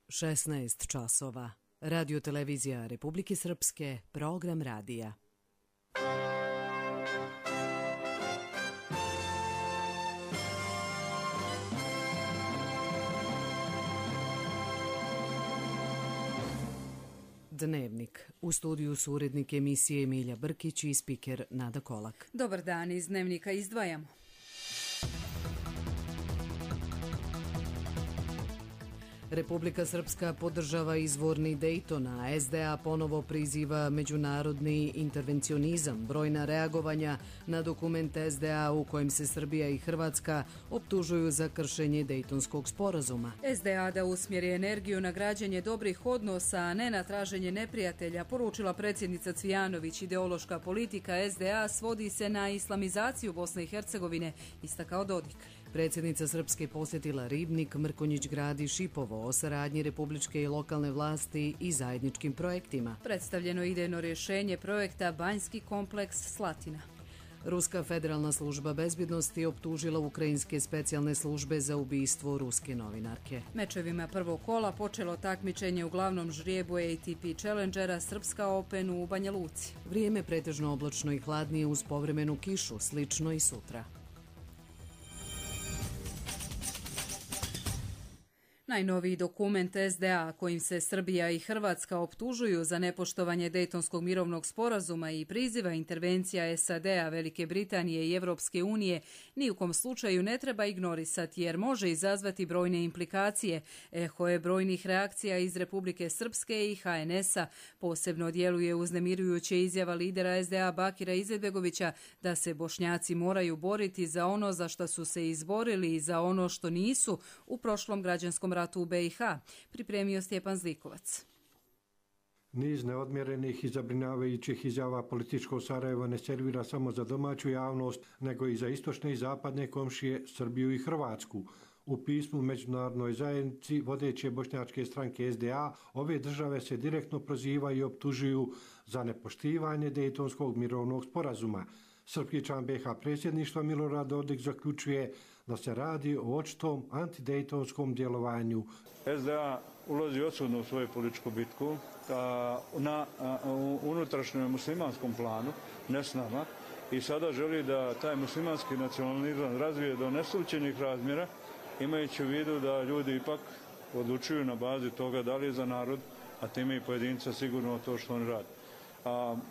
16 časova. Radio televizija Republike Srpske, program radija. Dnevnik. U studiju su urednik emisije Emilija Brkić i spiker Nada Kolak. Dobar dan, iz Dnevnika izdvajamo. Republika Srpska podržava izvorni Dejton, a SDA ponovo priziva međunarodni intervencionizam, brojna reagovanja na dokument SDA u kojem se Srbija i Hrvatska optužuju za kršenje Dejtonskog sporazuma. SDA da usmjeri energiju na građenje dobrih odnosa, a ne na traženje neprijatelja, poručila predsjednica Cvijanović. Ideološka politika SDA svodi se na islamizaciju Bosne i Hercegovine, istakao Dodik. Predsjednica Srpske posjetila Ribnik, Mrkonjić Grad i Šipovo o saradnji republičke i lokalne vlasti i zajedničkim projektima. Predstavljeno idejno rješenje projekta Banjski kompleks Slatina. Ruska federalna služba bezbjednosti optužila ukrajinske specijalne službe za ubistvo ruske novinarke. Mečevima prvog kola počelo takmičenje u glavnom žrijebu ATP Challengera Srpska Open u Banja Luci. Vrijeme pretežno oblačno i hladnije uz povremenu kišu, slično i sutra. Najnoviji dokument SDA kojim se Srbija i Hrvatska optužuju za nepoštovanje Dejtonskog mirovnog sporazuma i priziva intervencija SAD-a, Velike Britanije i Evropske unije ni u kom slučaju ne treba ignorisati jer može izazvati brojne implikacije. Eho je brojnih reakcija iz Republike Srpske i HNS-a. Posebno djeluje uznemirujuće izjava lidera SDA Bakira Izetbegovića da se Bošnjaci moraju boriti za ono za što su se izborili i za ono što nisu u prošlom građanskom ratu u BiH, pripremio Stjepan Zlikovac. Niz neodmjerenih i zabrinjavajućih izjava političkog Sarajeva ne servira samo za domaću javnost, nego i za istočne i zapadne komšije Srbiju i Hrvatsku. U pismu međunarodnoj zajednici vodeće bošnjačke stranke SDA ove države se direktno prozivaju i optužuju za nepoštivanje Dejtonskog mirovnog sporazuma. Srpski član BiH predsjedništva Milorad Dodik zaključuje da se radi o očitom antidejtonskom djelovanju. SDA ulazi odsudno u svoju političku bitku na unutrašnjem muslimanskom planu, ne s nama, i sada želi da taj muslimanski nacionalizam razvije do neslućenih razmjera, imajući u vidu da ljudi ipak odlučuju na bazi toga da li je za narod, a time i pojedinca sigurno to što oni rade.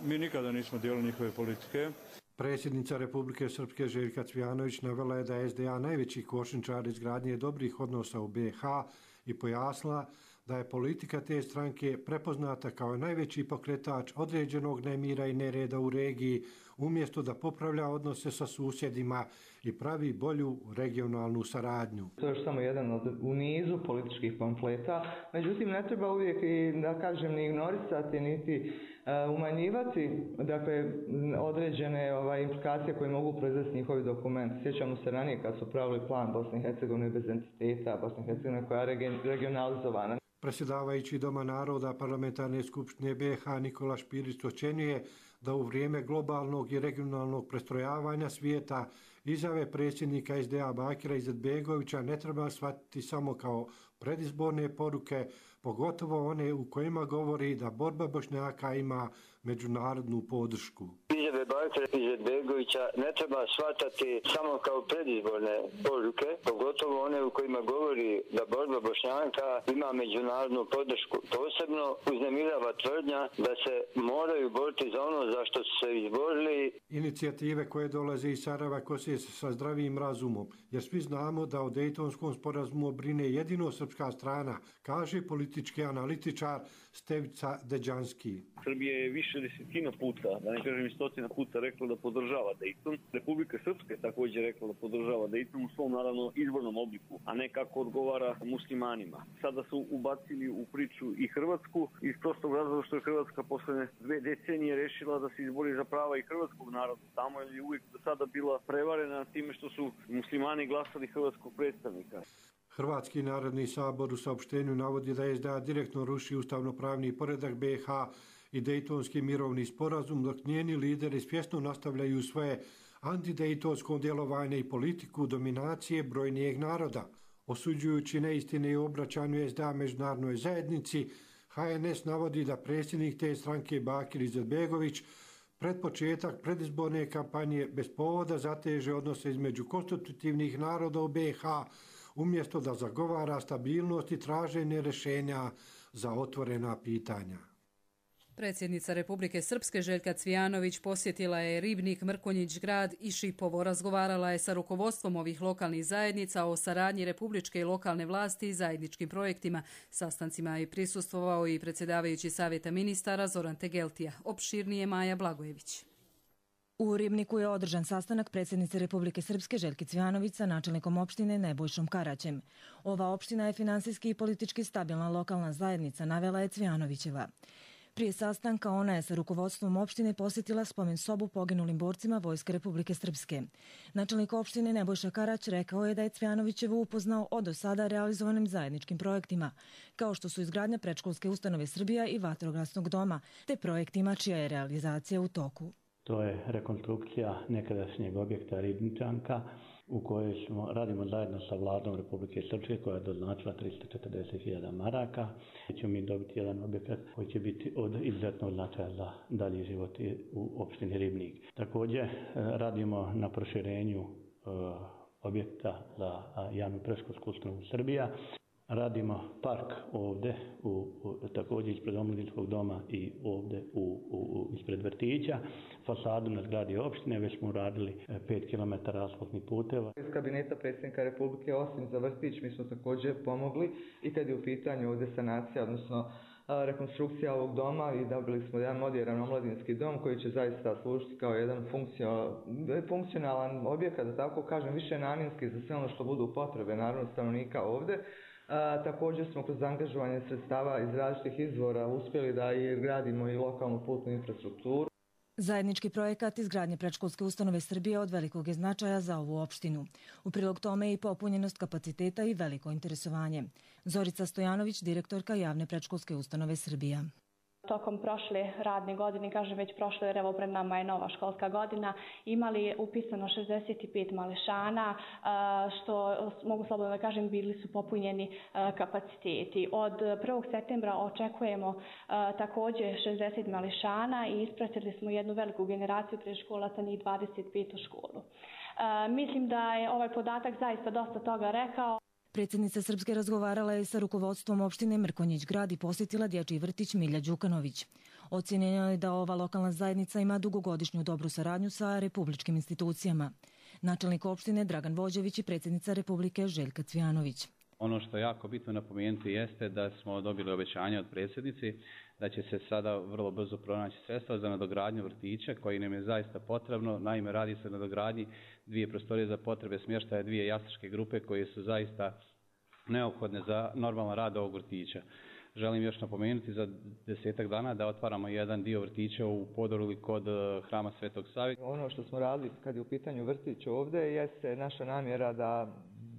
Mi nikada nismo dijeli njihove politike. Predsjednica Republike Srpske Željka Cvijanović navela je da je SDA najveći kočničar izgradnje dobrih odnosa u BiH i pojasnila da je politika te stranke prepoznata kao najveći pokretač određenog nemira i nereda u regiji, umjesto da popravlja odnose sa susjedima i pravi bolju regionalnu saradnju. To je još samo jedan u nizu političkih pamfleta, međutim ne treba uvijek i da kažem ni ignorisati niti umanjivati određene implikacije koje mogu proizvesti njihovi dokumenti. Sjećamo se ranije kad su pravili plan Bosne i Hercegovine bez entiteta, Bosne i Hercegovine koja je regionalizovana. Predsjedavajući Doma naroda Parlamentarne skupštine BiH Nikola Špirić ocjenjuje da u vrijeme globalnog i regionalnog prestrojavanja svijeta izjave predsjednika SDA Bakira Izetbegovića ne treba shvatiti samo kao predizborne poruke, pogotovo one u kojima govori da borba Bošnjaka ima međunarodnu podršku. Izjave Bakira Izetbegovića ne treba shvatati samo kao predizborne poruke, pogotovo one u kojima govori da borba Bošnjaka ima međunarodnu podršku. Posebno uznemirava tvrdnja da se moraju boriti za ono za što su se izborili. Inicijative koje dolaze iz Sarajeva kose se sa zdravim razumom, jer svi znamo da o Dejtonskom sporazumu brine jedino srpska strana, kaže politički analitičar Stevica Deđanski. Srbija je više desetina puta, da ne kažem i stotina puta, rekla da podržava Dejton. Republika Srpska je također rekla da podržava Dejton u svom naravno izvornom obliku, a ne kako odgovara muslimanima. Sada su ubacili u priču i Hrvatsku iz prostog razloga što je Hrvatska posle 2 decenije rešila da se izbori za prava i hrvatskog naroda. Tamo je uvijek do sada bila prevarena time što su muslimani glasali hrvatskog predstavnika. Hrvatski narodni sabor u saopštenju navodi da SDA direktno ruši ustavno-pravni poredak BiH i Dejtonski mirovni sporazum, dok njeni lideri svjesno nastavljaju svoje antidejtonsko djelovanje i politiku dominacije brojnijeg naroda. Osuđujući neistine i obraćanju SDA međunarodnoj zajednici, HNS navodi da predsjednik te stranke Bakir Izetbegović pred početak predizborne kampanje bez povoda zateže odnose između konstitutivnih naroda u BiH, umjesto da zagovara stabilnost i traženje rješenja za otvorena pitanja. Predsjednica Republike Srpske Željka Cvijanović posjetila je Ribnik, Mrkonjić Grad i Šipovo. Razgovarala je sa rukovodstvom ovih lokalnih zajednica o saradnji republičke i lokalne vlasti i zajedničkim projektima. Sastancima je prisustvovao i predsjedavajući Savjeta ministara Zoran Tegeltija. Opširnije Maja Blagojević. U Ribniku je održan sastanak predsjednice Republike Srpske Željke Cvijanović sa načelnikom opštine Nebojšom Karaćem. Ova opština je finansijski i politički stabilna lokalna zajednica, navela je Cvijanovićeva. Prije sastanka ona je sa rukovodstvom opštine posjetila spomen sobu poginulim borcima Vojske Republike Srpske. Načelnik opštine Nebojša Karać rekao je da je Cvijanovićevu upoznao o do sada realizovanim zajedničkim projektima, kao što su izgradnja predškolske ustanove Srbija i vatrogasnog doma, te projektima čija je realizacija u toku. To je rekonstrukcija nekadašnjeg objekta Ribničanka u kojoj radimo zajedno sa vladom Republike Srpske koja je doznačila 340.000 maraka. Ćemo mi dobiti jedan objekat koji će biti od izuzetnog značaja za dalji život u opštini Ribnik. Također radimo na proširenju objekta za javnu predškolsku ustanovu Srbija. Radimo park ovdje, također ispred Omladinskog doma i ovdje ispred vrtića. Fasadu na zgradi opštine već smo uradili 5 km asfaltnih puteva. Iz kabineta predsjednika Republike, osim za vrtić, mi smo također pomogli i kad je u pitanju ovdje sanacija, odnosno rekonstrukcija ovog doma, i dobili smo jedan modern omladinski dom koji će zaista služiti kao jedan funkcionalan objekat, da tako kažem, više namjenski za sve ono što budu potrebe naravno stanovnika ovdje. Također smo kroz angažovanje sredstava iz različitih izvora uspjeli da i gradimo i lokalnu putnu infrastrukturu. Zajednički projekat izgradnje predškolske ustanove Srbije od velikog je značaja za ovu opštinu. U prilog tome je i popunjenost kapaciteta i veliko interesovanje. Zorica Stojanović, direktorka javne predškolske ustanove Srbija. Tokom prošle radne godine, kažem već prošle jer evo pred nama je nova školska godina, imali upisano 65 mališana, što mogu slobodno da kažem bili su popunjeni kapaciteti. Od 1. septembra očekujemo također 60 mališana i ispratili smo jednu veliku generaciju predškolaca, njih 25 u školu. Mislim da je ovaj podatak zaista dosta toga rekao. Predsjednica Srpske razgovarala je sa rukovodstvom opštine Mrkonjić Grad i posjetila dječji vrtić Milja Đukanović. Ocjenjeno je da ova lokalna zajednica ima dugogodišnju dobru saradnju sa republičkim institucijama. Načelnik opštine Dragan Vođević i predsjednica Republike Željka Cvijanović. Ono što je jako bitno napomenuti jeste da smo dobili obećanje od predsjednici da će se sada vrlo brzo pronaći sredstva za nadogradnju vrtića koji nam je zaista potrebno. Naime, radi se o nadogradnji 2 prostorije za potrebe smještaja 2 jaslačke grupe koje su zaista neophodne za normalan rad ovog vrtića. Želim još napomenuti za 10 dana da otvaramo jedan dio vrtića u Podoruli kod Hrama Svetog Save. Ono što smo radili kad je u pitanju vrtić ovdje jeste naša namjera da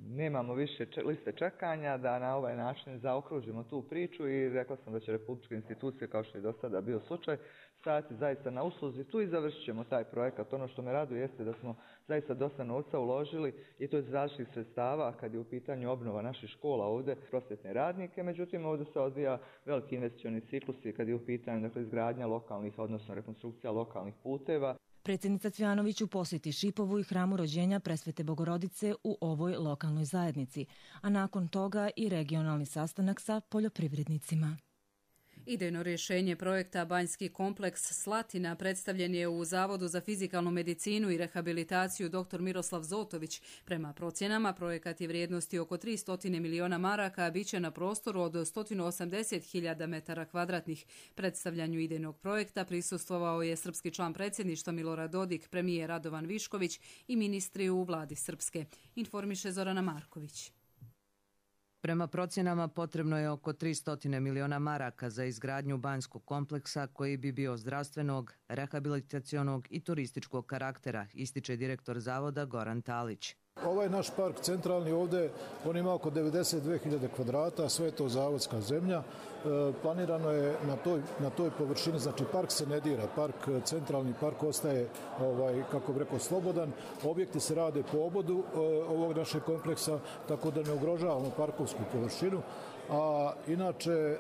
nemamo više liste čekanja, da na ovaj način zaokružimo tu priču i rekla sam da će republičke institucije, kao što je do sada bio slučaj, stajati zaista na usluzi tu i završit ćemo taj projekat. Ono što me raduje jeste da smo zaista dosta novca uložili i to iz različitih sredstava kad je u pitanju obnova naših škola ovdje, prosvjetne radnike, međutim ovdje se odvija veliki investicioni ciklusi kad je u pitanju izgradnja lokalnih, odnosno rekonstrukcija lokalnih puteva. Predsjednica Cvijanović u posjeti Šipovu i hramu rođenja Presvete Bogorodice u ovoj lokalnoj zajednici, a nakon toga i regionalni sastanak sa poljoprivrednicima. Idejno rješenje projekta Banjski kompleks Slatina predstavljen je u Zavodu za fizikalnu medicinu i rehabilitaciju dr. Miroslav Zotović. Prema procjenama, projekat je vrijednosti oko 300 miliona maraka, a bit će na prostoru od 180.000 metara kvadratnih. Predstavljanju idejnog projekta prisustvovao je srpski član predsjedništva Milorad Dodik, premijer Radovan Višković i ministri u vladi Srpske. Informiše Zorana Marković. Prema procjenama potrebno je oko 300 miliona maraka za izgradnju banjskog kompleksa koji bi bio zdravstvenog, rehabilitacionog i turističkog karaktera, ističe direktor zavoda Goran Talić. Ovaj naš park centralni ovdje, on ima oko 92.000 kvadrata, sve je to zavodska zemlja. Planirano je na toj površini, znači park se ne dira, centralni park ostaje, kako bi rekao, slobodan. Objekti se rade po obodu ovog našeg kompleksa, tako da ne ugrožavamo parkovsku površinu. A inače,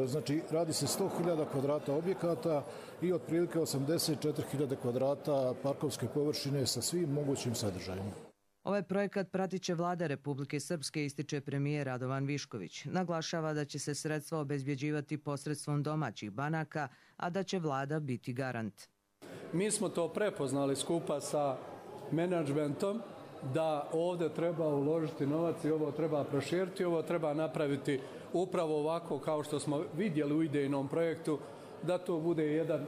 znači, radi se 100.000 kvadrata objekata i otprilike 84.000 kvadrata parkovske površine sa svim mogućim sadržajima. Ovaj projekat pratit će Vlada Republike Srpske, ističe premijer Radovan Višković. Naglašava da će se sredstva obezbjeđivati posredstvom domaćih banaka, a da će Vlada biti garant. Mi smo to prepoznali skupa sa menadžmentom, da ovdje treba uložiti novac i ovo treba proširiti, ovo treba napraviti upravo ovako kao što smo vidjeli u idejnom projektu, da to bude jedan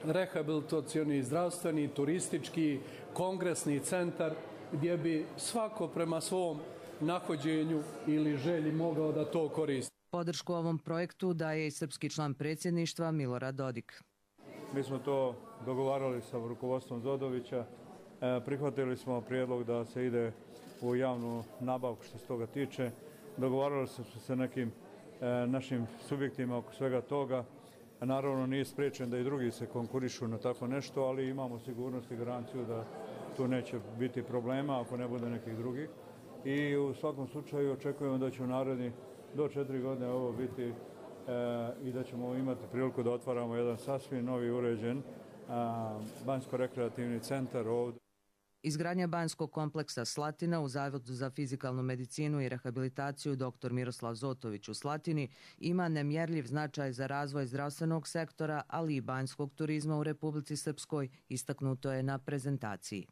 rehabilitacioni, zdravstveni, turistički, kongresni centar gdje bi svako prema svom nahođenju ili želji mogao da to koristi. Podršku ovom projektu daje i srpski član predsjedništva Milorad Dodik. Mi smo to dogovarali sa rukovodstvom Zodovića. Prihvatili smo prijedlog da se ide u javnu nabavku što se toga tiče. Dogovarali smo se sa nekim našim subjektima oko svega toga. Naravno nije spriječen da i drugi se konkurišu na tako nešto, ali imamo sigurnost i garanciju da tu neće biti problema ako ne bude nekih drugih. I u svakom slučaju očekujemo da će u naredni do 4 godine ovo biti i da ćemo imati priliku da otvaramo jedan sasvim novi uređen banjsko-rekreativni centar ovdje. Izgradnja banjskog kompleksa Slatina u Zavodu za fizikalnu medicinu i rehabilitaciju dr. Miroslav Zotović u Slatini ima nemjerljiv značaj za razvoj zdravstvenog sektora, ali i banjskog turizma u Republici Srpskoj, istaknuto je na prezentaciji.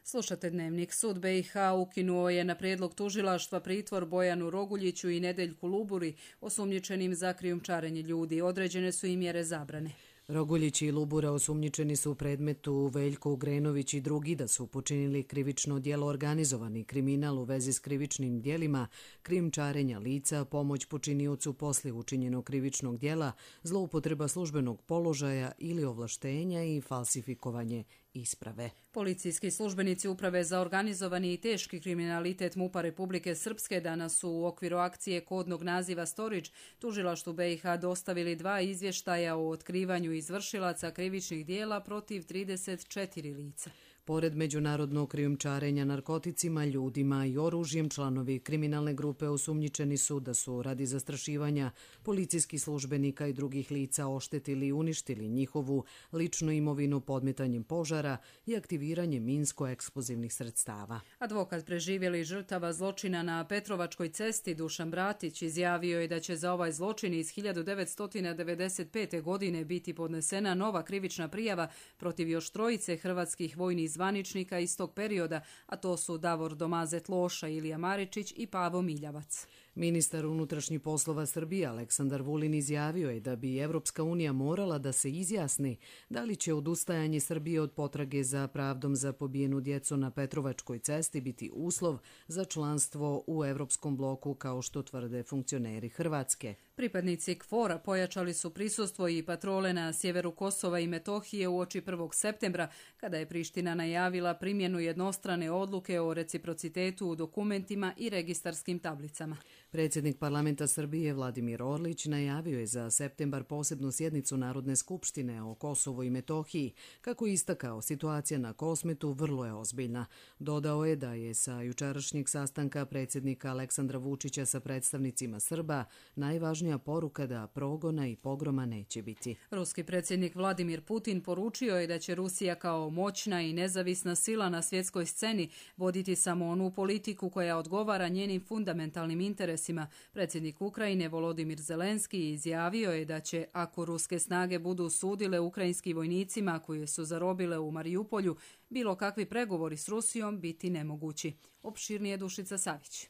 Slušate Dnevnik. Sud BiH ukinuo je na prijedlog tužilaštva pritvor Bojanu Roguljiću i Nedeljku Luburi, osumnjičenim za krijumčarenje ljudi. Određene su i mjere zabrane. Roguljić i Lubura osumnjičeni su u predmetu Veljko Ugrenović i drugi da su počinili krivično djelo organizovani kriminal u vezi s krivičnim djelima, krijumčarenja lica, pomoć počiniocu poslije učinjenog krivičnog djela, zloupotreba službenog položaja ili ovlaštenja i falsifikovanje isprave. Policijski službenici Uprave za organizovani i teški kriminalitet MUP-a Republike Srpske danas su u okviru akcije kodnog naziva Storić tužilaštvu BiH dostavili 2 izvještaja o otkrivanju izvršilaca krivičnih djela protiv 34 lica. Pored međunarodnog krijumčarenja narkoticima, ljudima i oružjem, članovi kriminalne grupe osumnjičeni su da su radi zastrašivanja policijskih službenika i drugih lica oštetili i uništili njihovu ličnu imovinu podmetanjem požara i aktiviranjem minsko-eksplozivnih sredstava. Advokat preživjeli žrtava zločina na Petrovačkoj cesti Dušan Bratić izjavio je da će za ovaj zločin iz 1995. godine biti podnesena nova krivična prijava protiv još 3 hrvatskih vojnih zvaničnika iz tog perioda, a to su Davor Domazet Loša, Ilija Maričić i Pavo Miljavac. Ministar unutrašnjih poslova Srbije Aleksandar Vulin izjavio je da bi Evropska unija morala da se izjasni da li će odustajanje Srbije od potrage za pravdom za pobijenu djecu na Petrovačkoj cesti biti uslov za članstvo u Evropskom bloku kao što tvrde funkcioneri Hrvatske. Pripadnici KFOR-a pojačali su prisustvo i patrole na sjeveru Kosova i Metohije uoči 1. septembra, kada je Priština najavila primjenu jednostrane odluke o reciprocitetu u dokumentima i registarskim tablicama. Predsjednik parlamenta Srbije Vladimir Orlić najavio je za septembar posebnu sjednicu Narodne skupštine o Kosovu i Metohiji. Kako je istakao, situacija na Kosmetu vrlo je ozbiljna. Dodao je da je sa jučerašnjeg sastanka predsjednika Aleksandra Vučića sa predstavnicima Srba najvažnija poruka da progona i pogroma neće biti. Ruski predsjednik Vladimir Putin poručio je da će Rusija kao moćna i nezavisna sila na svjetskoj sceni voditi samo onu politiku koja odgovara njenim fundamentalnim interesima. Predsjednik Ukrajine Volodimir Zelenski izjavio je da će, ako ruske snage budu sudile ukrajinskim vojnicima koje su zarobile u Marijupolju, bilo kakvi pregovori s Rusijom biti nemogući. Opširnije Dušica Savić.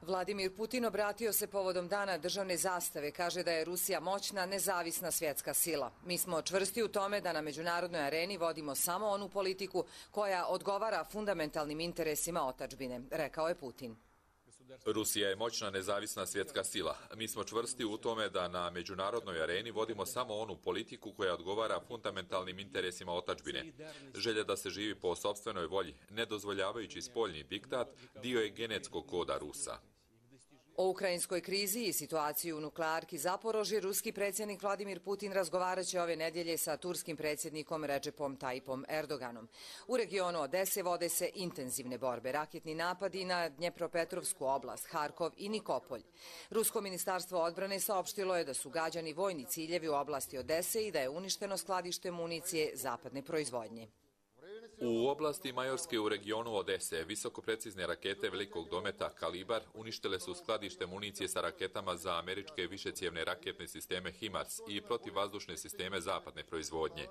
Vladimir Putin obratio se povodom dana državne zastave, kaže da je Rusija moćna, nezavisna svjetska sila. Mi smo čvrsti u tome da na međunarodnoj areni vodimo samo onu politiku koja odgovara fundamentalnim interesima otadžbine, rekao je Putin. Rusija je moćna nezavisna svjetska sila. Mi smo čvrsti u tome da na međunarodnoj areni vodimo samo onu politiku koja odgovara fundamentalnim interesima otadžbine. Želja da se živi po sopstvenoj volji, ne dozvoljavajući spoljni diktat, dio je genetskog koda Rusa. O ukrajinskoj krizi i situaciji u nuklearki Zaporožje ruski predsjednik Vladimir Putin razgovarat će ove nedjelje sa turskim predsjednikom Recepom Tayyipom Erdoganom. U regionu Odese vode se intenzivne borbe, raketni napadi na Dnjepropetrovsku oblast, Harkov i Nikopolj. Rusko ministarstvo odbrane saopštilo je da su gađani vojni ciljevi u oblasti Odese i da je uništeno skladište municije zapadne proizvodnje. U oblasti Majorske u regionu Odese visokoprecizne rakete velikog dometa Kalibar uništile su skladište municije sa raketama za američke višecijevne raketne sisteme HIMARS i protivvazdušne sisteme zapadne proizvodnje.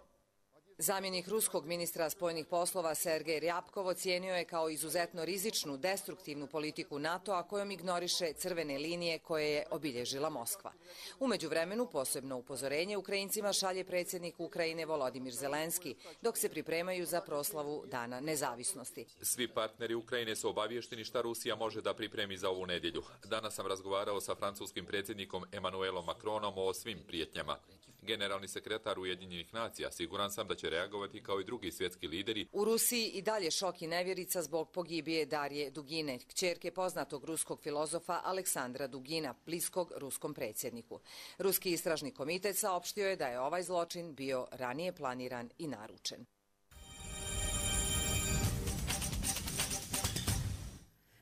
Zamjenik ruskog ministra spoljnih poslova Sergej Ryabkov ocijenio je kao izuzetno rizičnu, destruktivnu politiku NATO-a kojom ignoriše crvene linije koje je obilježila Moskva. U međuvremenu posebno upozorenje Ukrajincima šalje predsjednik Ukrajine Volodimir Zelenski, dok se pripremaju za proslavu Dana nezavisnosti. Svi partneri Ukrajine su obavješteni šta Rusija može da pripremi za ovu nedjelju. Danas sam razgovarao sa francuskim predsjednikom Emmanuelom Macronom o svim prijetnjama. Generalni sekretar Ujedinjenih nacija siguran sam da će reagovati kao i drugi svjetski lideri. U Rusiji i dalje šok i nevjerica zbog pogibije Darije Dugine, kćerke poznatog ruskog filozofa Aleksandra Dugina, bliskog ruskom predsjedniku. Ruski istražni komitet saopštio je da je ovaj zločin bio ranije planiran i naručen.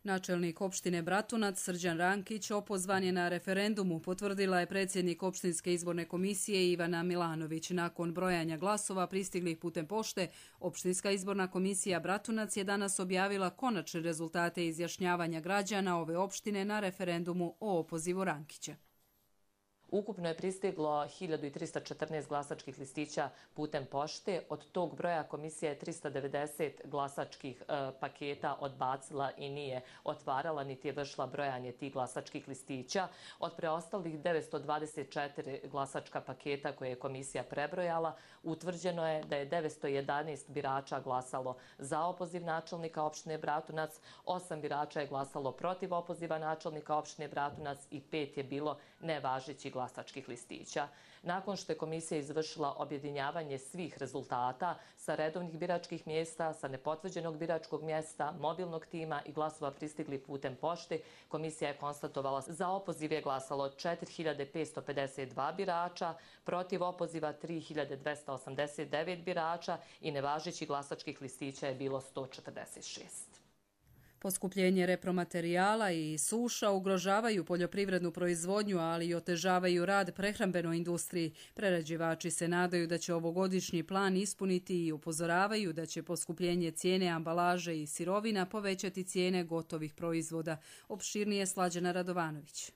Načelnik opštine Bratunac Srđan Rankić opozvan je na referendumu, potvrdila je predsjednik opštinske izborne komisije Ivana Milanović. Nakon brojanja glasova pristiglih putem pošte, opštinska izborna komisija Bratunac je danas objavila konačne rezultate izjašnjavanja građana ove opštine na referendumu o opozivu Rankića. Ukupno je pristiglo 1314 glasačkih listića putem pošte. Od tog broja komisija je 390 glasačkih paketa odbacila i nije otvarala niti je vršila brojanje tih glasačkih listića. Od preostalih 924 glasačka paketa koje je komisija prebrojala, utvrđeno je da je 911 birača glasalo za opoziv načelnika opštine Bratunac, 8 birača je glasalo protiv opoziva načelnika opštine Bratunac i 5 je bilo nevažećih glasačkih listića. Nakon što je komisija izvršila objedinjavanje svih rezultata sa redovnih biračkih mjesta, sa nepotvrđenog biračkog mjesta, mobilnog tima i glasova pristigli putem pošte, komisija je konstatovala za opoziv je glasalo 4552 birača, protiv opoziva 3289 birača i nevažećih glasačkih listića je bilo 146. Poskupljenje repromaterijala i suša ugrožavaju poljoprivrednu proizvodnju, ali i otežavaju rad prehrambenoj industriji. Prerađivači se nadaju da će ovogodišnji plan ispuniti i upozoravaju da će poskupljenje cijene ambalaže i sirovina povećati cijene gotovih proizvoda. Opširnije Slađana Radovanović.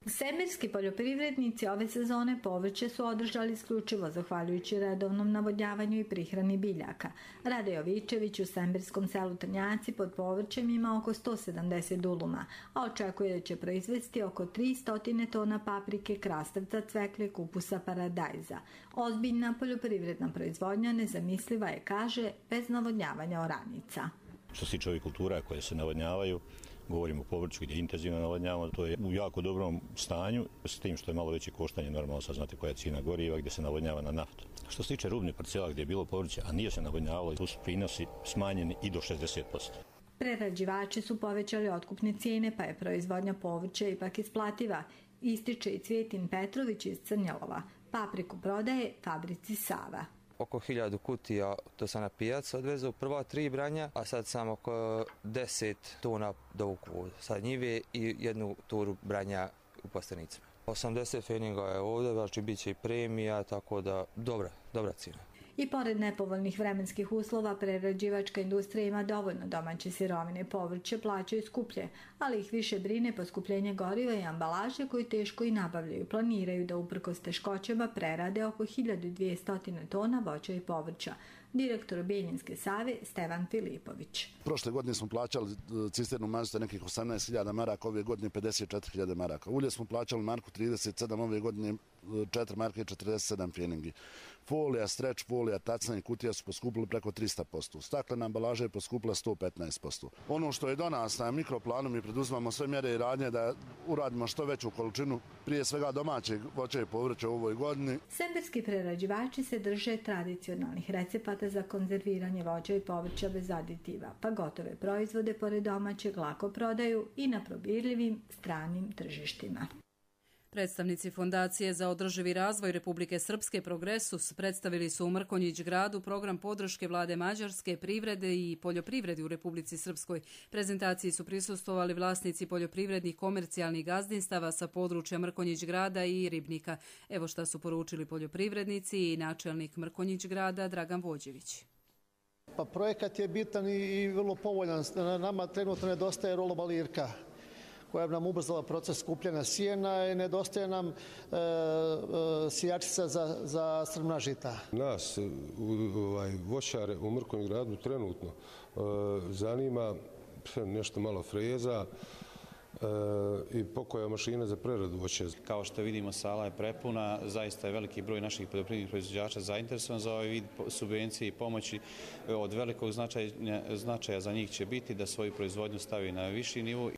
Semberski poljoprivrednici ove sezone povrće su održali isključivo zahvaljujući redovnom navodnjavanju i prihrani biljaka. Rade Jovičević u semberskom selu Trnjaci pod povrćem ima oko 170 duluma, a očekuje da će proizvesti oko 300 tona paprike, krastavca, cvekle, kupusa, paradajza. Ozbiljna poljoprivredna proizvodnja nezamisliva je, kaže, bez navodnjavanja oranica. Što se tiče ovih kultura koje se navodnjavaju, govorimo o povrću gdje je intenzivno navodnjavamo, to je u jako dobrom stanju, s tim što je malo veće koštanje, normalno sad znate koja je cijena goriva gdje se navodnjava na naftu. Što se tiče rubnih parcela gdje je bilo povrće, a nije se navodnjavalo, tu su prinosi smanjeni i do 60%. Prerađivači su povećali otkupne cijene, pa je proizvodnja povrća ipak isplativa, ističe i Cvjetin Petrović iz Crnjalova. Papriku prodaje fabrici Sava. Oko 1000 kutija, to sam na pijac odvezao prva 3 branja, a sad sam oko 10 tona dovuku sa njive i 1 turu branja u plastenicama. 80 feninga je ovdje, znači bit će i premija, tako da dobra cijena. I pored nepovoljnih vremenskih uslova, prerađivačka industrija ima dovoljno domaće sirovine, povrće plaćaju skuplje, ali ih više brine poskupljenje goriva i ambalaže koju teško i nabavljaju. Planiraju da uprkos teškoćama prerade oko 1200 tona voća i povrća. Direktor Bijeljinske Save Stevan Filipović. Prošle godine smo plaćali cisternu mazuta nekih 18.000 maraka, ove godine 54.000 maraka. Ulje smo plaćali marku 37, ove godine 4 marke i 47 feningi. folija, stretch folija, tacna i kutija su poskupili preko 300%. Staklena ambalaža je poskupila 115%. Ono što je do nas na mikroplanu, mi preduzimamo sve mjere i radnje da uradimo što veću količinu, prije svega domaćeg voća i povrća u ovoj godini. Semberski prerađivači se drže tradicionalnih recepata za konzerviranje voća i povrća bez aditiva, pa gotove proizvode pored domaćeg lako prodaju i na probirljivim stranim tržištima. Predstavnici Fondacije za održivi razvoj Republike Srpske Progresus predstavili su u Mrkonjić gradu program podrške vlade Mađarske, privrede i poljoprivredi u Republici Srpskoj. Prezentaciji su prisustvovali vlasnici poljoprivrednih komercijalnih gazdinstava sa područja Mrkonjić grada i Ribnika. Evo šta su poručili poljoprivrednici i načelnik Mrkonjić grada Dragan Vođević. Pa projekat je bitan i vrlo povoljan. Nama trenutno nedostaje rolobalirka koja bi nam ubrzala proces skupljanja sjena i nedostaje nam sijačica za strmna žita. Nas, voćare u Mrkonjić gradu trenutno zanima nešto malo freza i pokoja mašina za preradu voća. Kao što vidimo, sala je prepuna, zaista je veliki broj naših poljoprivrednih proizvođača zainteresovan za ovaj vid subvencije i pomoći. Od velikog značaja za njih će biti da svoju proizvodnju stavi na viši nivo.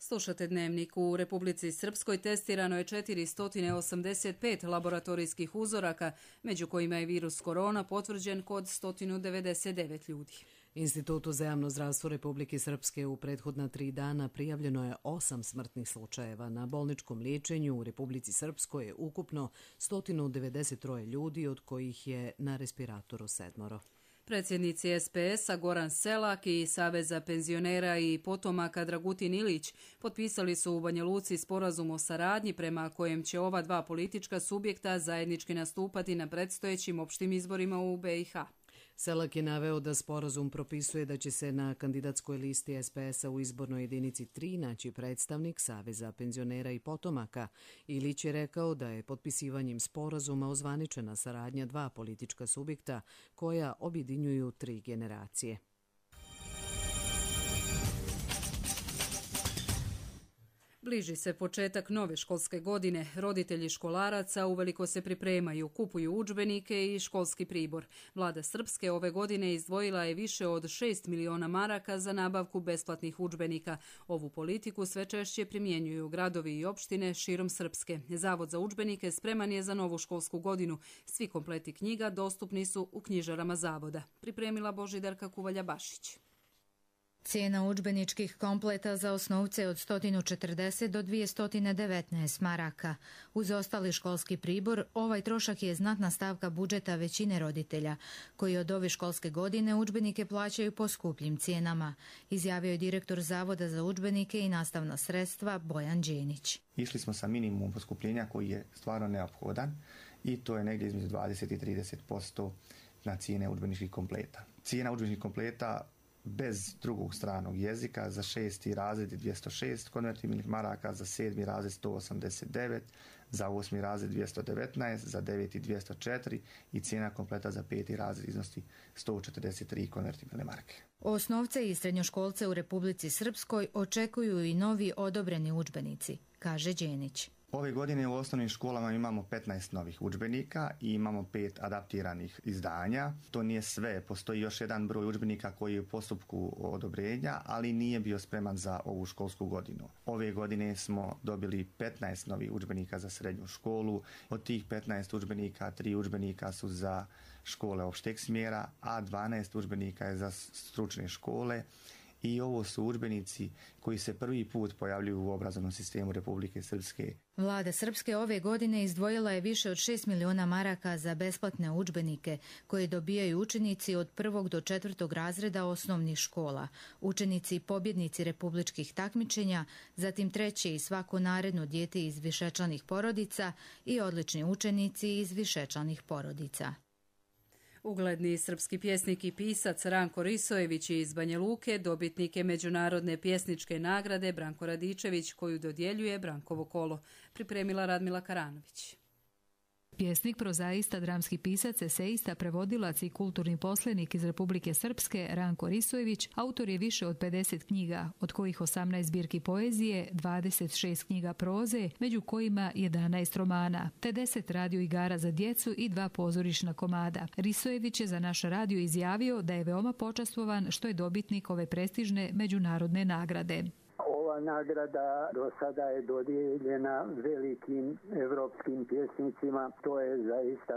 Slušate Dnevnik. U Republici Srpskoj testirano je 485 laboratorijskih uzoraka, među kojima je virus korona potvrđen kod 199 ljudi. Institutu za javno zdravstvo Republike Srpske u prethodna 3 dana prijavljeno je 8 smrtnih slučajeva. Na bolničkom liječenju u Republici Srpskoj je ukupno 193 ljudi, od kojih je na respiratoru 7. Predsjednici SPS-a Goran Selak i Saveza penzionera i potomaka Dragutin Ilić potpisali su u Banja Luci sporazum o saradnji prema kojem će ova dva politička subjekta zajednički nastupati na predstojećim opštim izborima u BiH. Selak je naveo da sporazum propisuje da će se na kandidatskoj listi SPS-a u izbornoj jedinici 3 naći predstavnik Saveza penzionera i potomaka. Ilić je rekao da je potpisivanjem sporazuma ozvaničena saradnja dva politička subjekta koja objedinjuju 3 generacije. Bliži se početak nove školske godine. Roditelji školaraca uveliko se pripremaju, kupuju udžbenike i školski pribor. Vlada Srpske ove godine izdvojila je više od 6 miliona maraka za nabavku besplatnih udžbenika. Ovu politiku sve češće primjenjuju gradovi i opštine širom Srpske. Zavod za udžbenike spreman je za novu školsku godinu. Svi kompleti knjiga dostupni su u knjižarama zavoda. Pripremila Božidarka Kuvalja-Bašić. Cijena udžbeničkih kompleta za osnovce od 140 do 219 maraka. Uz ostali školski pribor, ovaj trošak je znatna stavka budžeta većine roditelja, koji od ove školske godine udžbenike plaćaju po skupljim cijenama, izjavio je direktor Zavoda za udžbenike i nastavna sredstva Bojan Đenić. Išli smo sa minimumom poskupljenja koji je stvarno neophodan i to je negdje između 20 i 30% na cijene udžbeničkih kompleta. Cijena udžbeničkih kompleta bez drugog stranog jezika za 6. razred 206 konvertibilnih maraka, za 7. razred 189, za 8. razred 219, za 9. 204 i cijena kompleta za 5. razred iznosi 143 konvertibilne marke. Osnovce i srednjoškolce u Republici Srpskoj očekuju i novi odobreni udžbenici, kaže Đenić. Ove godine u osnovnim školama imamo 15 novih udžbenika i imamo 5 adaptiranih izdanja. To nije sve, postoji još jedan broj udžbenika koji je u postupku odobrenja, ali nije bio spreman za ovu školsku godinu. Ove godine smo dobili 15 novih udžbenika za srednju školu. Od tih 15 udžbenika, 3 udžbenika su za škole opšteg smjera, a 12 udžbenika je za stručne škole. I ovo su udžbenici koji se prvi put pojavljuju u obrazovnom sistemu Republike Srpske. Vlada Srpske ove godine izdvojila je više od 6 miliona maraka za besplatne udžbenike koje dobijaju učenici od 1. do 4. razreda osnovnih škola, učenici i pobjednici republičkih takmičenja, zatim treće i svako naredno dijete iz višečlanih porodica i odlični učenici iz višečlanih porodica. Ugledni srpski pjesnik i pisac Ranko Risojević iz Banja Luke dobitnik je međunarodne pjesničke nagrade Branko Radičević, koju dodjeljuje Brankovo kolo. Pripremila Radmila Karanović. Pjesnik, prozaista, dramski pisac, eseista, prevodilac i kulturni poslenik iz Republike Srpske Ranko Risojević autor je više od 50 knjiga, od kojih 18 zbirki poezije, 26 knjiga proze, među kojima 11 romana, te 10 radio igara za djecu i 2 pozorišna komada. Risojević je za naš radio izjavio da je veoma počastvovan što je dobitnik ove prestižne međunarodne nagrade. Ova nagrada do sada je dodijeljena velikim evropskim pjesnicima. To je zaista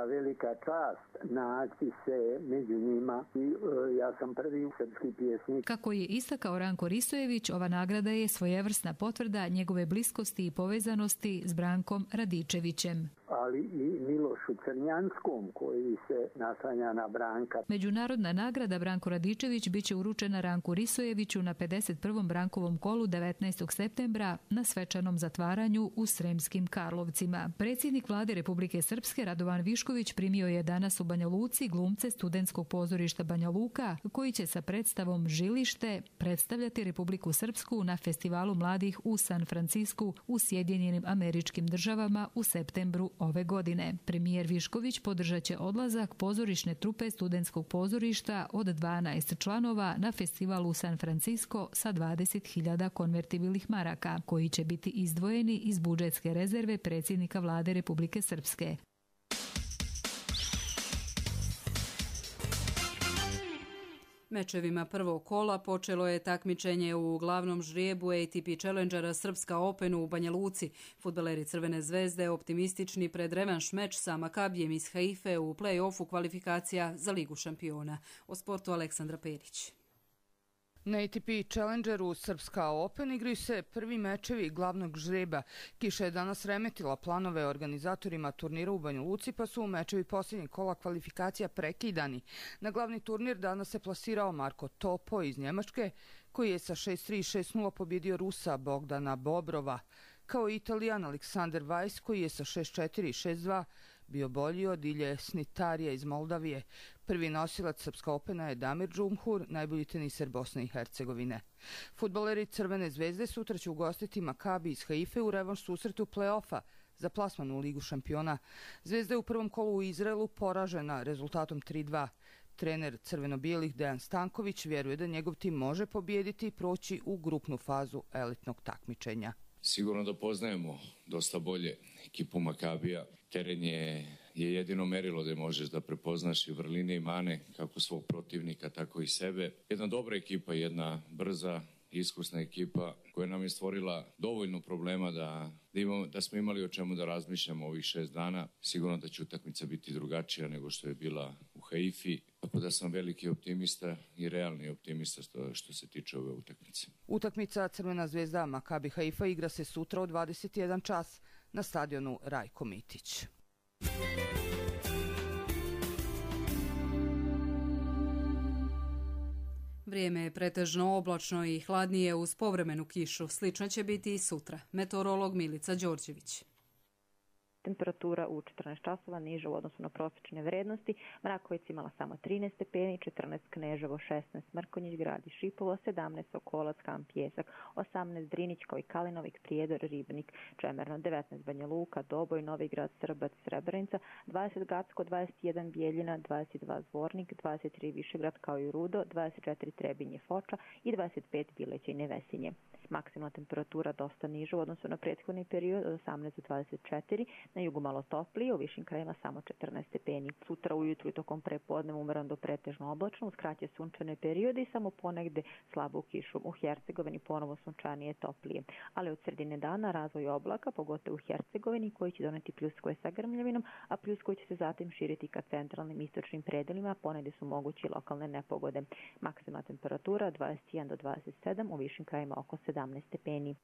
velika čast naći se među njima i ja sam prvi srpski pjesnik. Kako je istakao Ranko Risojević, ova nagrada je svojevrsna potvrda njegove bliskosti i povezanosti s Brankom Radičevićem. Ali i Milošu Crnjanskom koji se naslanja na Branka. Međunarodna nagrada Branko Radičević biće uručena Ranku Risojeviću na 51. Brankovom kolu 19. septembra na svečanom zatvaranju u Sremskim Karlovcima. Predsjednik vlade Republike Srpske Radovan Višković primio je danas u Banja Luci glumce Studentskog pozorišta Banja Luka koji će sa predstavom Žilište predstavljati Republiku Srpsku na Festivalu mladih u San Francisku u Sjedinjenim Američkim Državama u septembru ove godine. Premijer Višković podržat će odlazak pozorišne trupe Studentskog pozorišta od 12 članova na festival u San Francisco sa 20.000 konvertibilnih maraka, koji će biti izdvojeni iz budžetske rezerve predsjednika vlade Republike Srpske. Mečevima prvog kola počelo je takmičenje u glavnom žrijebu ATP Challengera Srpska Openu u Banja Luci. Fudbaleri Crvene zvezde optimistični pred revanš meč sa Makabijem iz Haife u play-offu kvalifikacija za Ligu šampiona. O sportu Aleksandra Perić. Na ATP Challengeru Srpska Open igraju se prvi mečevi glavnog žreba. Kiša je danas remetila planove organizatorima turnira u Banja Luci, pa su mečevi posljednjeg kola kvalifikacija prekidani. Na glavni turnir danas se plasirao Marko Topo iz Njemačke, koji je sa 6-3 i 6-0 pobjedio Rusa Bogdana Bobrova, kao i Italijan Aleksander Weiss, koji je sa 6-4 i 6-2 bio bolji od Ilje Snitarija iz Moldavije. Prvi nosilac Srpska Opena je Damir Džumhur, najbolji teniser Bosne i Hercegovine. Fudbaleri Crvene zvezde sutra će ugostiti Makabi iz Haife u revanš susretu play-offa za plasman u Ligu šampiona. Zvezda je u prvom kolu u Izraelu poražena rezultatom 3-2. Trener crveno-bijelih Dejan Stanković vjeruje da njegov tim može pobijediti i proći u grupnu fazu elitnog takmičenja. Sigurno da poznajemo dosta bolje ekipu Makabija. Teren je jedino merilo da možeš da prepoznaš i vrline i mane kako svog protivnika, tako i sebe. Jedna dobra ekipa, jedna brza, iskusna ekipa koja nam je stvorila dovoljno problema da smo imali o čemu da razmišljamo ovih 6 dana. Sigurno da će utakmica biti drugačija nego što je bila u Haifi. Tako da sam veliki optimista i realni optimista što se tiče ove utakmice. Utakmica Crvena zvezda Makabi Haifa igra se sutra u 21 čas na stadionu Rajko Mitić. Vrijeme je pretežno oblačno i hladnije uz povremenu kišu. Slično će biti i sutra. Meteorolog Milica Đorđević. Temperatura u 14 časova niža u odnosu na prosječne vrednosti. Mrakovic imala samo 13 stepeni, 14 Kneževo, 16 Mrkonjić, grad i Šipovo, 17 Sokolac, Kamp Pjesak, 18 Drinić kao i Kalinovik, Prijedor, Ribnik, Čemerno, 19 Banja Luka, Doboj, Novi Grad, Srbac, Srebrenica, 20 Gacko, 21 Bijeljina, 22 Zvornik, 23 Višegrad kao i Rudo, 24 Trebinje, Foča i 25 Bileća i Nevesinje. Maksimalna temperatura dosta niža u odnosu na prethodni period od 18 do 24, na jugu malo toplije, u višim krajima samo 14 stepeni. Sutra ujutru i tokom prepodneva umereno do pretežno oblačno, uz kraće sunčane periode i samo ponegde slabu kišu. U Hercegovini ponovo sunčanije toplije, ali od sredine dana razvoj oblaka, pogotovo u Hercegovini, koji će doneti pljuskove sa grmljavinom, a pljuskovi će se zatim širiti ka centralnim istočnim predelima, ponegde su mogući lokalne nepogode. Maksimalna temperatura 21 do 27, u višim krajima oko 17 stepeni.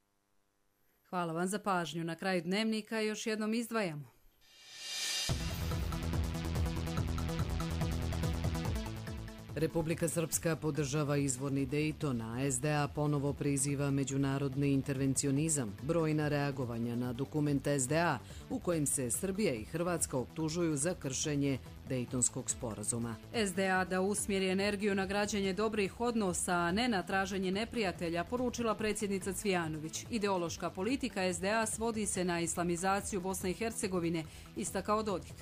Hvala vam za pažnju. Na kraju dnevnika još jednom izdvajamo. Republika Srpska podržava izvorni Dejton, a SDA ponovo priziva međunarodni intervencionizam, brojna reagovanja na dokument SDA u kojem se Srbija i Hrvatska optužuju za kršenje Dejtonskog sporazuma. SDA da usmjeri energiju na građenje dobrih odnosa, a ne na traženje neprijatelja, poručila predsjednica Cvijanović. Ideološka politika SDA svodi se na islamizaciju Bosne i Hercegovine, istakao Dodik.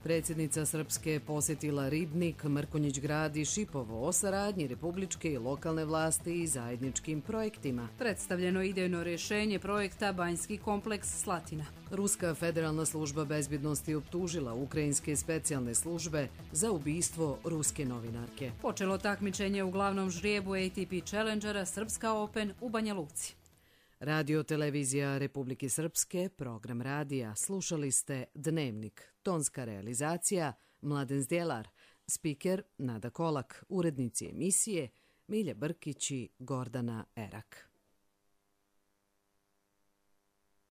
Predsjednica Srpske posjetila Ribnik, Mrkonjić grad i Šipovo o saradnji republičke i lokalne vlasti i zajedničkim projektima. Predstavljeno idejno rješenje projekta Banjski kompleks Slatina. Ruska federalna služba bezbjednosti optužila ukrajinske specijalne službe za ubistvo ruske novinarke. Počelo takmičenje u glavnom žrijebu ATP Challengera Srpska Open u Banja Luci. Radio televizija Republike Srpske, program radija. Slušali ste Dnevnik. Tonska realizacija Mladen Zdjelar. Spiker Nada Kolak. Urednici emisije Milja Brkić i Gordana Erak.